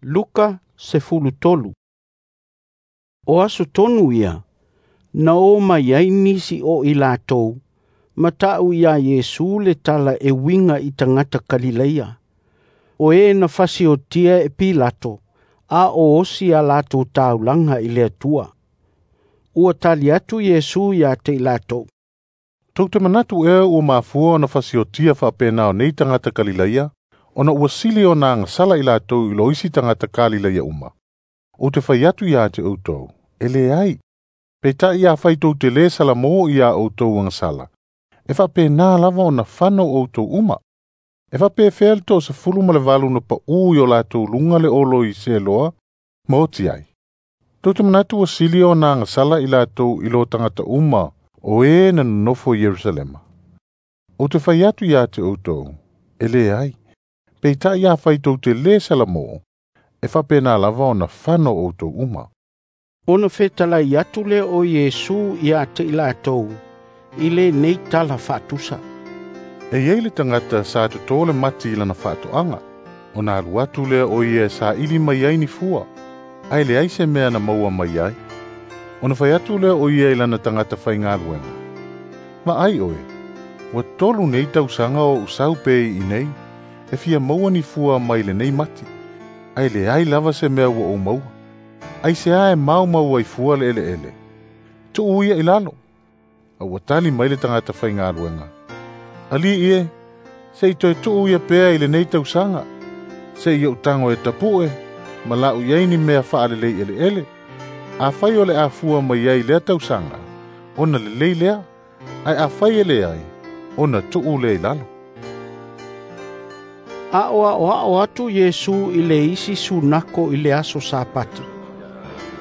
Luka 13. O aso tonu ia, na o mai ai nisi o i latou, ma ta'u iā Iesu le tala e uiga i tagata Kalileia, o e na fasiotia e Pilato, a o osi a latou taulaga i le Atua. Ua tali atu Iesu ia te i latou. Tou te manatu ea ua mafua ona fasiotia faapena o nei tagata Kalileia, ona ua sili ona agasala i latou i lo isi tagata Kalileia uma. Ou te fai atu ia te outou, e leai. Peitai afai tou te lē salamō iā outou agasala, e faapena lava ona fano outou uma. E faapefea le 18 na paʻū i o latou luga le olo i Seloa ma oti ai. Tou te manatu ua sili ona agasala i latou i lo tagata uma o e na nonofo i Ierusalema. Ou te fai atu ia te outou, e leai. Peitai afai tou te lē salamō, e faapena lava ona fano outou uma. Ona fetalai atu lea o Iesu ia te i latou, i lenei tala faatusa. E iai le tagata sa totō le mati i lana faatoaga, ona alu atu lea o ia e saili mai ai ni fua, ae leai se mea na maua mai ai. Ona fai atu lea o ia i lana tagata faigaluega. Vaai oe, ua 3 nei tausaga o ou sau pea i inei, e fia maua ni fua mai lenei mati, ae leai lava se mea ua ou maua. Ai se a e maumau ai fua le eleele. Tuu ia i lalo. A ua tali mai le tagata faigaluega. Alii e, se i toe tuu ia pea i lenei tausaga, se i ou tago e tapu'e, ma la'u i ai ni mea faalelei eleele. Afai o le afua mai ai lea tausaga, ona lelei lea, ae afai e leai, ona tuu lea i lalo. Aʻoaʻoaʻo atu Iesu i le isi sunako i le aso Sapati.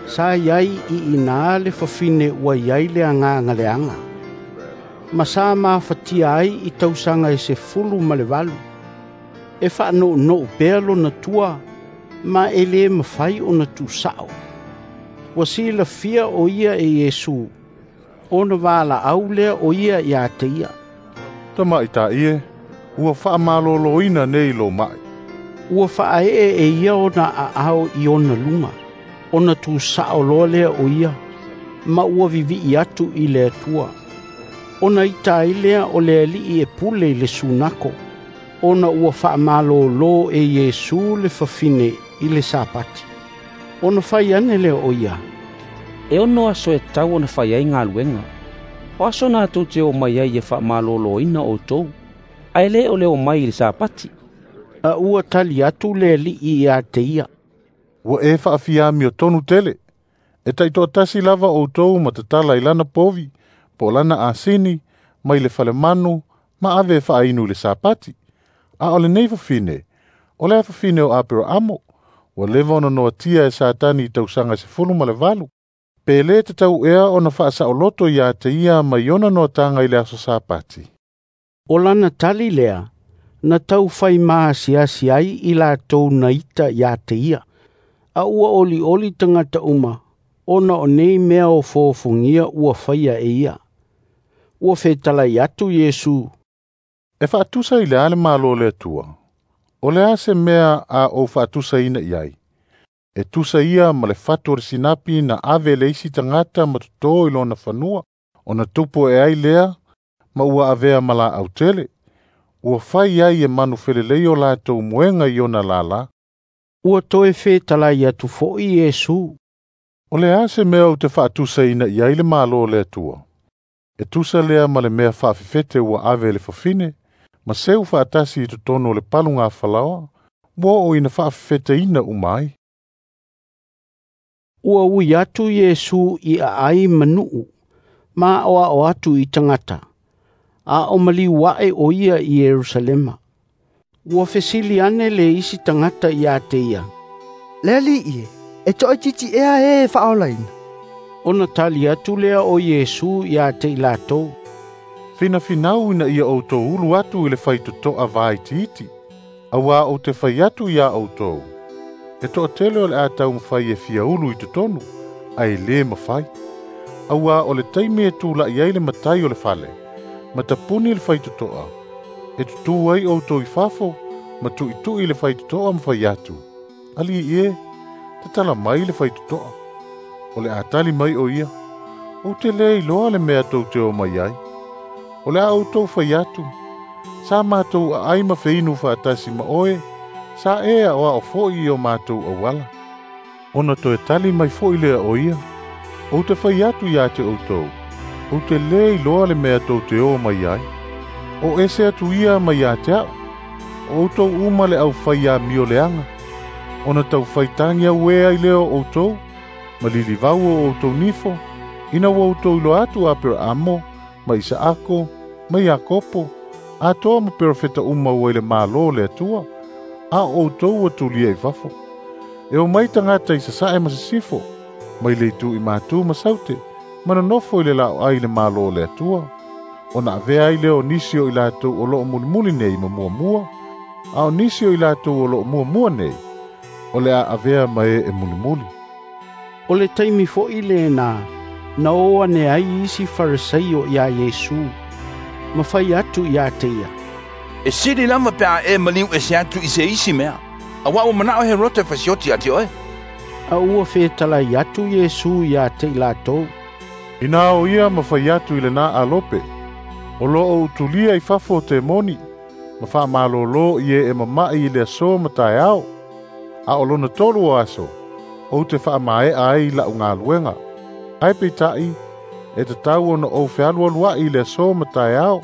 Sa iai i ina le fafine ua iai le agaga leaga. Ma sa mafatia ai i tausaga e 18. E faanounou pea lona tua, ma e lē mafai ona tuusa'o. Ua silafia o ia e Iesu, ona valaau lea o ia ia te ia. Tamaʻitaʻi e, ua faamalōlōina nei lou maʻi. Ua faaee e ia ona aao i ona luga, ona tuusa'o loa lea o ia, ma ua vivi'i atu i le Atua. Ona ita ai lea o le Alii e pule i le sunako, ona ua faamalōlō e Iesu le fafine i le Sapati. Ona fai ane lea o ia, E 6 aso e tatau ona fai ai galuega. O aso na tou te omai ai e faamalōlōina outou, ae lē o le omai i le Sapati. A ua tali atu le Alii ia te ia. Ua e faafiamio tonu tele. E taitoatasi lava outou ma tatala i lana povi, po o lana asini, mai le falemanu, ma ave e faainu i le Sapati. A o lenei fafine, o le fafine o Aperaamo, ua leva ona noatia e Satani i tausaga 18. Pe lē tatau ea ona faasaoloto ia te ia mai ona noataga i le aso Sapati. O lana tali lea, na tau fai maasiasi ai i latou na ita ia te ia. A ua olioli tagata uma, ona o nei mea o fofogia ua faia e ia. Ua fetalai atu Iesu. E faatusa i le a le Malo o le Atua. O le a se mea a ou faatusaina i ai. E tusa ia ma le fatu o le sinapi na ave le isi tagata ma totō i lona fanua. Ona tupu e ai lea, ma ua avea ma laau tele. Ua fai ai e manufelelei o latou moega i ona lālā. Ua toe fetalai atu foʻi Iesu. O le a se mea ou te faatusaina i ai le Malo o le Atua. E tusa lea ma le mea faafefete ua ave e le fafine, ma seu faatasi i totonu o le palugafalaoa, ua oo ina faafefeteina uma ai. Ua ui atu Iesu i aai ma nuu, ma aʻoaʻo atu i tagata, a o maliu aʻe o ia i Ierusalema. Ua fesili ane le isi tagata ia te ia. Le Alii e, e toaitiiti ea e e faaolaina. Ona tali atu lea o Iesu ia te i latou. Finafinau ina ia outou ulu atu i le faitotoa vaitiiti, auā ou te fai atu iā outou. E toatele o le a taumafai e fia ulu i totonu, ae lē mafai. Auā o le taimi e tulaʻi ai le matai o le fale, ma tapuni le faitotoa, e tutū ai outou i fafo, ma tuʻituʻi le faitotoa ma fai atu. Alii e, tatala mai le faitotoa. O le a tali mai o ia, ou te le iloa le mea tou te o mai ai. O le a outou fai atu, sa matou aai ma feinu faatasi ma oe, sa e aoao foi i o matou auala. Ona toe tali mai foi lea o ia, ou te fai atu ia te outou, ou te le iloa le mea tou te o mai ai. O ese atu ia mai ia te au, o outou uma le aufai amioleaga, ona taufaitagi auē ai lea o outou, ma lilivau o outou nifo, ina ua outou iloa atu Aperaamo, ma Isaako, ma Iakopo, atoa ma perofeta uma ua i le Malo o le Atua, a o outou ua tulia i fafo. E omai tagata i sasae ma sisifo, mai le itu i matu ma saute, ma nonofo i le laoai i le Malo o le Atua. Ona avea ai lea o nisi o i latou o loo mulimuli nei ma muamua, a o nisi o i latou o loo muamua nei, o le a avea ma e e mulimuli. O le taimi foi lena, na o ane ai isi Farisaio iā Iesu, ma fai atu ia te ia, E sili lava pe a e maliu ese atu i se isi mea, auā ua manao Herota e fasioti ia te oe. A ua fetalai atu Iesu ia te i latou, Ina o ia ma fai atu i lena alope, o loo utulia i fafo o temoni, ma faamalōlō i e e mama'i i le aso ma taeao, a o lona tolu o aso, ou te faamaea ai la'u galuega. Ae peita'i, e tatau ona ou fealualua'i i le aso ma taeao,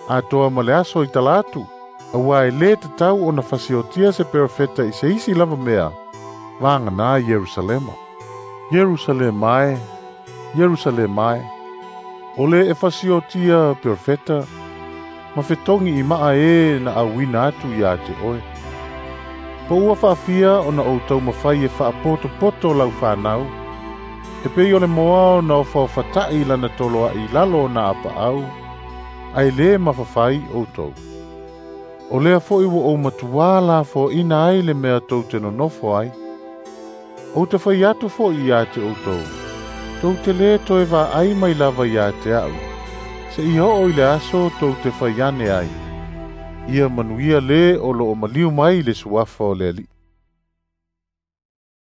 atoa ma le aso i tala atu, auā e lē tatau ona fasiotia se perofeta i se isi lava mea, vaganā Ierusalema. Ierusalema e, Ierusalema e, o le e fasiotia perofeta, ma fetogi i maa e na auina atu ia te oe. Po ua faafia ona ou taumafai e faapotopoto lau fanau, e pei o le moa ona ofaofata'i lana toloa'i i lalo o na apaau, ae lē mafafai outou. O lea foi ua ou matuā lafoaina ai le mea tou te nonofo ai. Ou te fai atu foi ia te outou, tou te lē toe vaai mai lava ia te a'u, seia oo i le aso tou te fai ane ai. Ia manuia lē o loo maliu mai le suafa o le Alii.